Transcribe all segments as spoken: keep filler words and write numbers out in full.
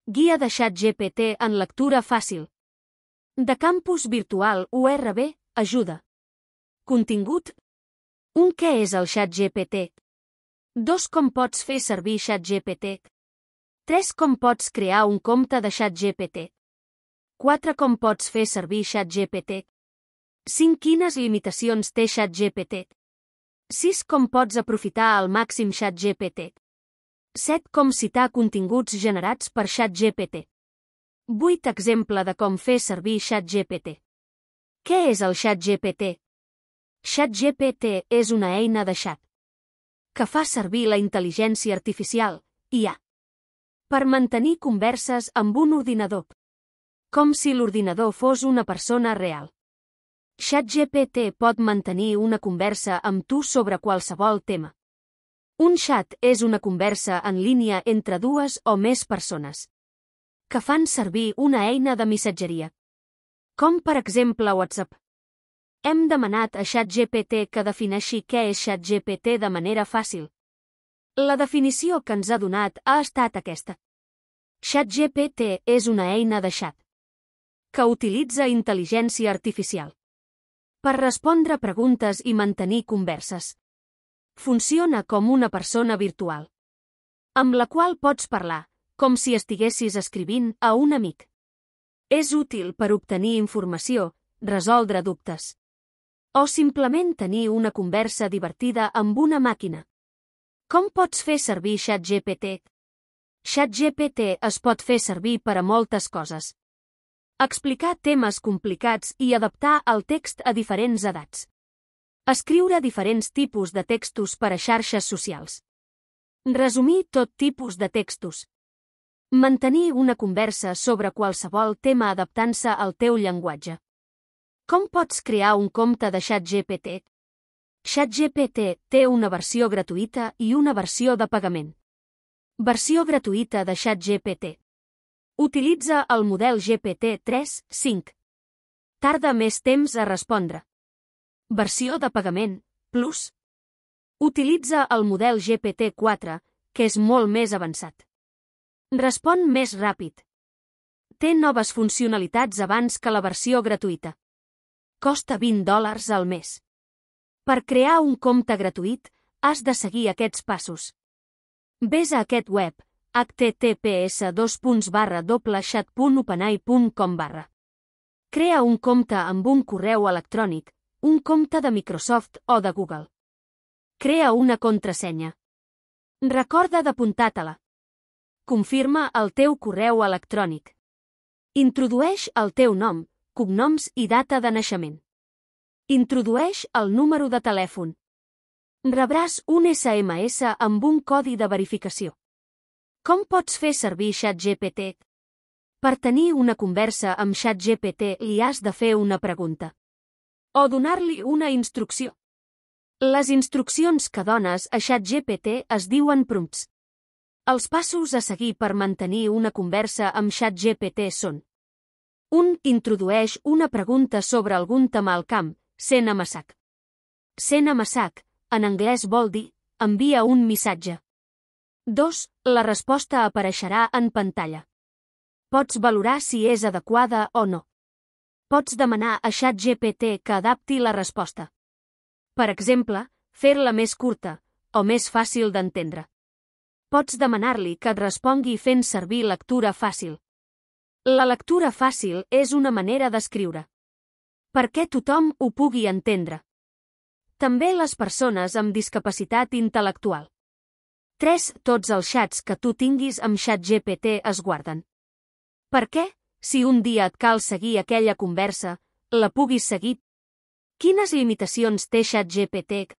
Guia de ChatGPT en lectura fàcil. De campus virtual U R B, ajuda. Contingut. un Què és el ChatGPT? dos Com pots fer servir ChatGPT? tres Com pots crear un compte de ChatGPT? quatre Com pots fer servir ChatGPT? cinc Quines limitacions té ChatGPT? sis Com pots aprofitar al màxim ChatGPT? set Com citar continguts generats per ChatGPT? vuit Exemple de com fer servir ChatGPT. Què és el ChatGPT? ChatGPT és una eina de xat que fa servir la intel·ligència artificial, I A, per mantenir converses amb un ordinador, com si l'ordinador fos una persona real. ChatGPT pot mantenir una conversa amb tu sobre qualsevol tema. Un xat és una conversa en línia entre dues o més persones que fan servir una eina de missatgeria, com per exemple WhatsApp. Hem demanat a ChatGPT que defineixi què és ChatGPT de manera fàcil. La definició que ens ha donat ha estat aquesta. ChatGPT és una eina de xat que utilitza intel·ligència artificial per respondre preguntes i mantenir converses. Funciona com una persona virtual, amb la qual pots parlar, com si estiguessis escrivint a un amic. És útil per obtenir informació, resoldre dubtes, o simplement tenir una conversa divertida amb una màquina. Com pots fer servir ChatGPT? ChatGPT es pot fer servir per a moltes coses. Explicar temes complicats i adaptar el text a diferents edats. Escriure diferents tipus de textos per a xarxes socials. Resumir tot tipus de textos. Mantenir una conversa sobre qualsevol tema adaptant-se al teu llenguatge. Com pots crear un compte de ChatGPT? ChatGPT té una versió gratuïta i una versió de pagament. Versió gratuïta de ChatGPT. Utilitza el model G P T tres punto cinc. Tarda més temps a respondre. Versió de pagament, Plus. Utilitza el model G P T quatre, que és molt més avançat. Respon més ràpid. Té noves funcionalitats abans que la versió gratuïta. Costa vint dòlars al mes. Per crear un compte gratuït, has de seguir aquests passos. Ves a aquest web, h t t p s dos barra doble chat punt openai punt com barra. Crea un compte amb un correu electrònic, un compte de Microsoft o de Google. Crea una contrasenya. Recorda d'apuntar-te-la. Confirma el teu correu electrònic. Introdueix el teu nom, cognoms i data de naixement. Introdueix el número de telèfon. Rebràs un S M S amb un codi de verificació. Com pots fer servir ChatGPT? Per tenir una conversa amb ChatGPT li has de fer una pregunta. O donar-li una instrucció. Les instruccions que dones a ChatGPT es diuen prompts. Els passos a seguir per mantenir una conversa amb ChatGPT són: un Introdueix una pregunta sobre algun tema al camp, sent amasac. Sent amasac, en anglès vol dir, envia un missatge. dos La resposta apareixerà en pantalla. Pots valorar si és adequada o no. Pots demanar a ChatGPT que adapti la resposta. Per exemple, fer-la més curta, o més fàcil d'entendre. Pots demanar-li que et respongui fent servir lectura fàcil. La lectura fàcil és una manera d'escriure, perquè tothom ho pugui entendre. També les persones amb discapacitat intel·lectual. tres Tots els xats que tu tinguis amb ChatGPT es guarden. Per què, si un dia et cal seguir aquella conversa, la puguis seguir? Quines limitacions té ChatGPT?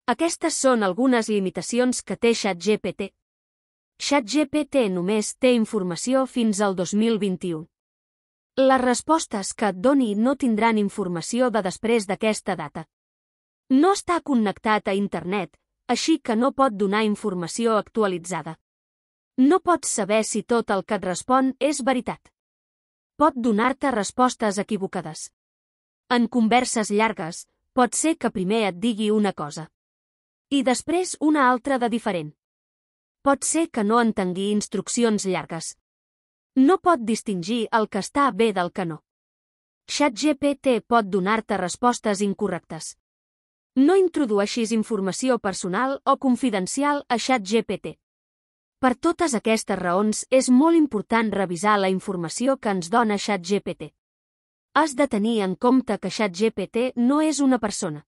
Aquestes són algunes limitacions que té ChatGPT. ChatGPT només té informació fins al dos mil vint-i-u. Les respostes que et doni no tindran informació de després d'aquesta data. No està connectat a internet, així que no pot donar informació actualitzada. No pots saber si tot el que et respon és veritat. Pot donar-te respostes equivocades. En converses llargues, pot ser que primer et digui una cosa i després una altra de diferent. Pot ser que no entengui instruccions llargues. No pot distingir el que està bé del que no. ChatGPT pot donar-te respostes incorrectes. No introdueixis informació personal o confidencial a ChatGPT. Per totes aquestes raons, és molt important revisar la informació que ens dona ChatGPT. Has de tenir en compte que ChatGPT no és una persona.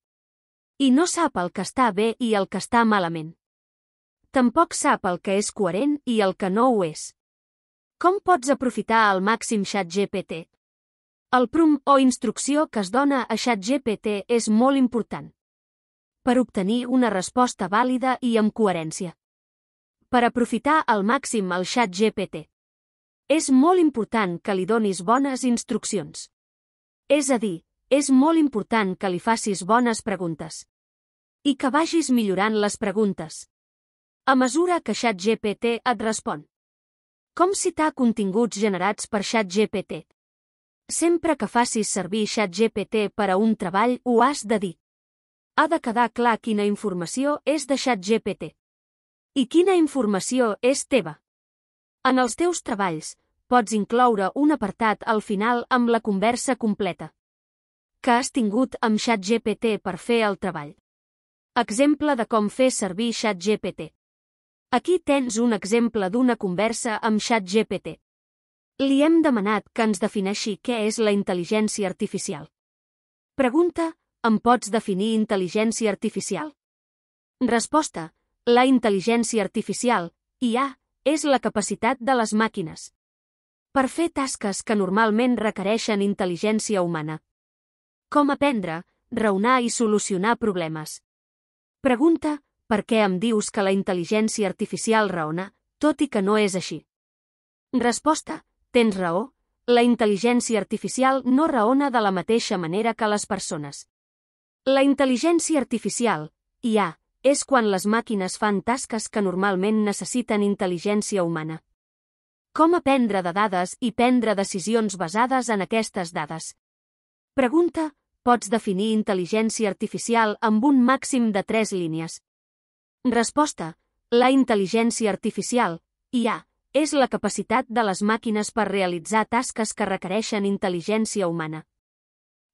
I no sap el que està bé i el que està malament. Tampoc sap el que és coherent i el que no ho és. Com pots aprofitar al màxim ChatGPT? El prompt o instrucció que es dona a ChatGPT és molt important per obtenir una resposta vàlida i amb coherència. Per aprofitar al màxim el ChatGPT. És molt important que li donis bones instruccions. És a dir, és molt important que li facis bones preguntes. I que vagis millorant les preguntes a mesura que ChatGPT et respon. Com citar continguts generats per ChatGPT? Sempre que facis servir ChatGPT per a un treball ho has de dir. Ha de quedar clar quina informació és de ChatGPT. I quina informació és teva. En els teus treballs, pots incloure un apartat al final amb la conversa completa que has tingut amb ChatGPT per fer el treball. Exemple de com fer servir ChatGPT. Aquí tens un exemple d'una conversa amb ChatGPT. Li hem demanat que ens defineixi què és la intel·ligència artificial. Pregunta: em pots definir intel·ligència artificial? Resposta: la intel·ligència artificial, I A, és la capacitat de les màquines per fer tasques que normalment requereixen intel·ligència humana. Com aprendre, raonar i solucionar problemes. Pregunta: per què em dius que la intel·ligència artificial raona, tot i que no és així? Resposta: tens raó, la intel·ligència artificial no raona de la mateixa manera que les persones. La intel·ligència artificial, I A, és quan les màquines fan tasques que normalment necessiten intel·ligència humana. Com aprendre de dades i prendre decisions basades en aquestes dades? Pregunta: pots definir intel·ligència artificial amb un màxim de tres línies? Resposta: la intel·ligència artificial, I A, és la capacitat de les màquines per realitzar tasques que requereixen intel·ligència humana.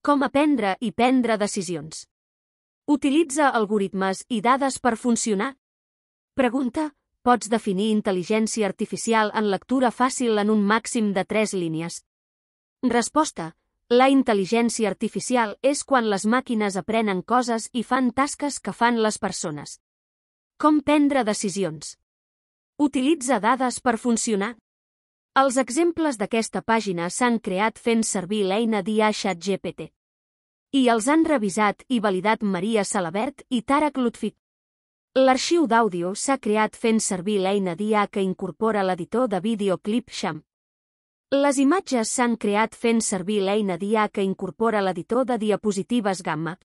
Com aprendre i prendre decisions? Utilitza algoritmes i dades per funcionar? Pregunta: pots definir intel·ligència artificial en lectura fàcil en un màxim de tres línies? Resposta: la intel·ligència artificial és quan les màquines aprenen coses i fan tasques que fan les persones. Com prendre decisions? Utilitza dades per funcionar? Els exemples d'aquesta pàgina s'han creat fent servir l'eina d'I A ChatGPT. I els han revisat i validat Maria Salabert i Tarak Lutfi. L'arxiu d'àudio s'ha creat fent servir l'eina d'I A que incorpora l'editor de vídeo Clipchamp. Les imatges s'han creat fent servir l'eina d'I A que incorpora l'editor de diapositives Gamma.